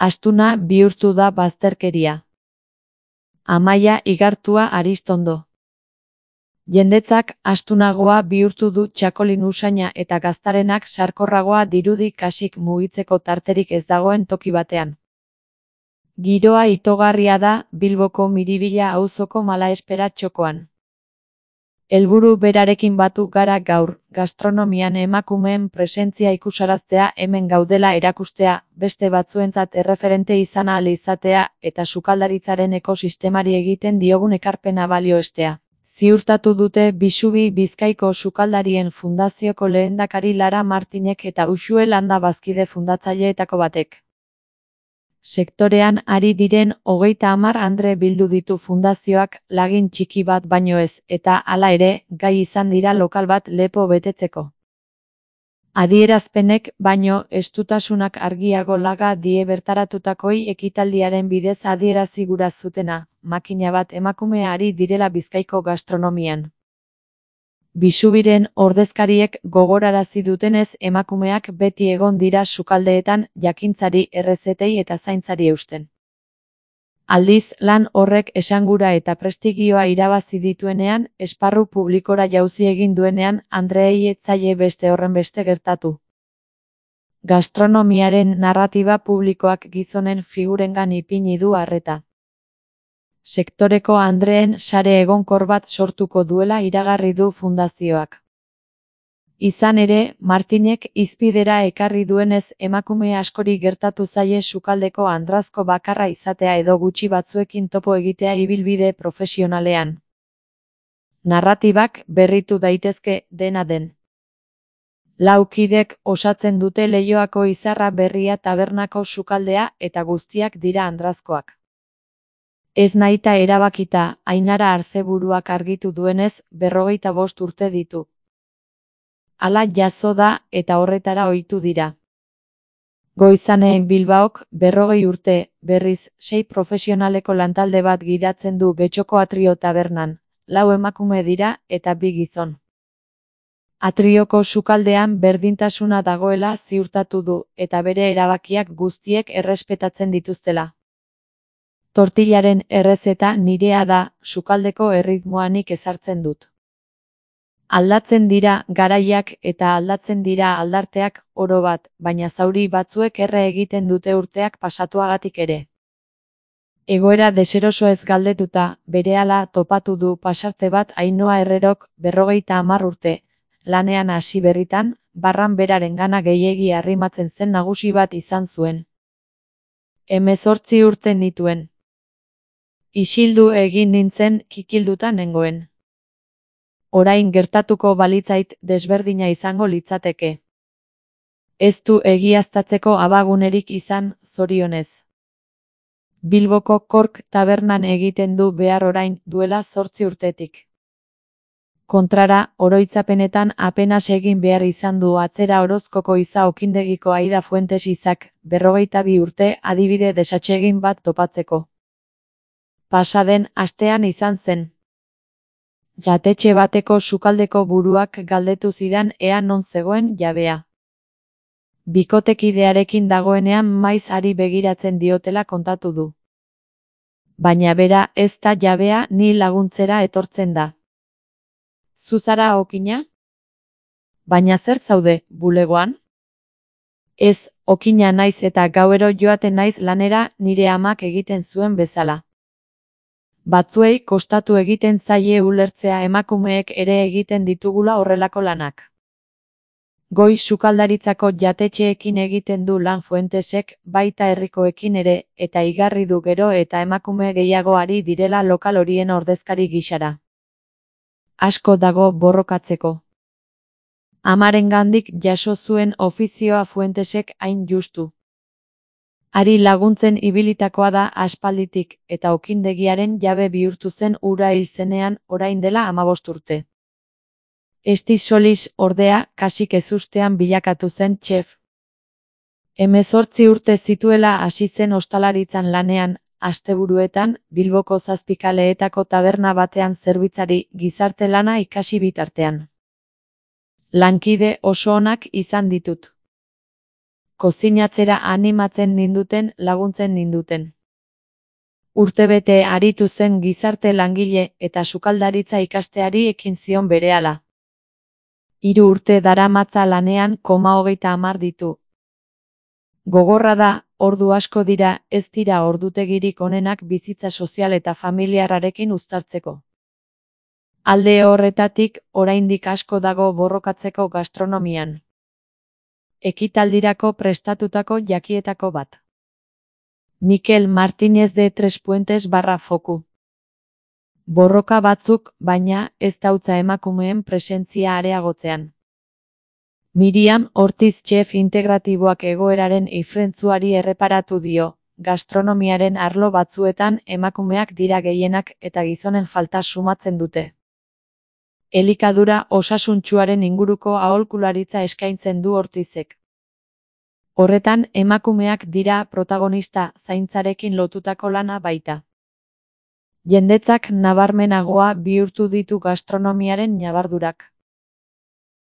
Astuna bihurtu da bazterkeria. Amaia Igartua Aristondo. Jendetzak astunagoa bihurtu du txakolin usaina eta gaztarenak sarkorragoa dirudi kasik mugitzeko tarterik ez dagoen toki batean. Giroa itogarria da Bilboko Miribilla auzoko Malaespera txokoan. Helburu berarekin batu gara gaur, gastronomian emakumeen presentzia ikusaraztea, hemen gaudela erakustea, beste batzuentzat erreferente izan ahal izatea eta sukaldaritzaren ekosistemari egiten diogun ekarpena balioestea. Ziurtatu dute Bisubi Bizkaiko Sukaldarien Fundazioko lehendakari Lara Martinek eta Uxue Landa bazkide fundatzaileetako batek. Sektorean ari diren 30 andre bildu ditu fundazioak, lagin txiki bat baino ez, eta hala ere, gai izan dira lokal bat lepo betetzeko. Adierazpenek baino estutasunak argiago laga die bertaratutakoei ekitaldiaren bidez adierazi gura zutena, makina bat emakume ari direla Bizkaiko gastronomian. Bisubiren ordezkariek gogorarazi dutenez emakumeak beti egon dira sukaldeetan jakintzari, errezetei eta zaintzari eusten. Aldiz, lan horrek esangura eta prestigioa irabazi dituenean, esparru publikora jauzi egin duenean, andreei ez zaie beste horrenbeste gertatu. Gastronomiaren narratiba publikoak gizonen figurengan ipini du arreta. Sektoreko andreen sare egonkor bat sortuko duela iragarri du fundazioak. Izan ere, Martinek hizpidera ekarri duenez emakume askori gertatu zaie sukaldeko andrazko bakarra izatea edo gutxi batzuekin topo egitea ibilbide profesionalean. Narratibak berritu daitezke, dena den. 4 kidek osatzen dute Leioako Izarra Berria tabernako sukaldea eta guztiak dira andrazkoak. Ez nahita erabakita, Ainara Arzeburuak argitu duenez, 45 urte ditu. Hala jazo da eta horretara ohitu dira. Goizaneen Bilbaok 40 urte, berriz, 6 profesionaleko lantalde bat gidatzen du Getxoko Atrio tabernan, 4 emakume dira eta 2 gizon. Atrioko sukaldean berdintasuna dagoela ziurtatu du eta bere erabakiak guztiek errespetatzen dituztela. Tortillaren errezeta nirea da, sukaldeko erritmoa nik ezartzen dut. Aldatzen dira garaiak eta aldatzen dira aldarteak oro bat, baina zauri batzuek erre egiten dute urteak pasatuagatik ere. Egoera deseroso ez galdetuta, berehala topatu du pasarte bat Ainhoa Herrerok 50 urte, lanean hasi berritan, barran berarengana gehiegi arrimatzen zen nagusi bat izan zuen. 18 urte nituen. Isildu egin nintzen, kikilduta nengoen. Orain gertatuko balitzait desberdina izango litzateke. Ez du egiaztatzeko abagunerik izan, zorionez. Bilboko Kork tabernan egiten du behar orain duela 8 urtetik. Kontrara, oroitzapenetan apenas egin behar izan du atzera Orozkoko Iza Okindegiko Aida Fuentes Izak, 42 urte adibide desatsegin bat topatzeko. Pasaden astean izan zen. Jatetxe bateko sukaldeko buruak galdetu zidan ea non zegoen jabea. Bikotekidearekin dagoenean maiz ari begiratzen diotela kontatu du. Baina bera ez da jabea, ni laguntzera etortzen da. Zuzara okina? Baina zer zaude, bulegoan? Ez, okina naiz eta gauero joaten naiz lanera nire amak egiten zuen bezala. Batzuei kostatu egiten zaie ulertzea emakumeek ere egiten ditugula horrelako lanak. Goi sukaldaritzako jatetxeekin egiten du lan Fuentesek, baita herrikoekin ere, eta igarri du gero eta emakume gehiago ari direla lokal horien ordezkari gisara. Asko dago borrokatzeko. Amarengandik jaso zuen ofizioa Fuentesek hain justu. Ari laguntzen ibilitakoa da aspalditik, eta okindegiaren jabe bihurtu zen ura hil zenean orain dela 15 urte. Esti Solis, ordea, kasik ezustean bilakatu zen txef. 18 urte zituela hasi zen ostalaritzan lanean, asteburuetan, Bilboko Zazpikaleetako taberna batean zerbitzari gizarte lana ikasi bitartean. Lankide oso onak izan ditut. Kozinatzera animatzen ninduten, laguntzen ninduten. Urtebete aritu zen gizarte langile eta sukaldaritza ikasteari ekin zion berehala. 3 urte daramatza lanean, 30 ditu. Gogorra da, ordu asko dira, ez dira ordutegirik onenak bizitza sozial eta familiarrarekin uztartzeko. Alde horretatik, oraindik asko dago borrokatzeko gastronomian. Ekitaldirako prestatutako jakietako bat. Mikel Martínez de Trespuentes/Foku. Borroka batzuk, baina, ez dautza emakumeen presentzia areagotzean. Miriam Ortiz chef integratiboak egoeraren ifrentzuari erreparatu dio, gastronomiaren arlo batzuetan emakumeak dira gehienak eta gizonen falta sumatzen dute. Elikadura osasuntsuaren inguruko aholkularitza eskaintzen du Ortizek. Horretan, emakumeak dira protagonista, zaintzarekin lotutako lana baita. Jendetzak nabarmenagoa bihurtu ditu gastronomiaren ñabardurak.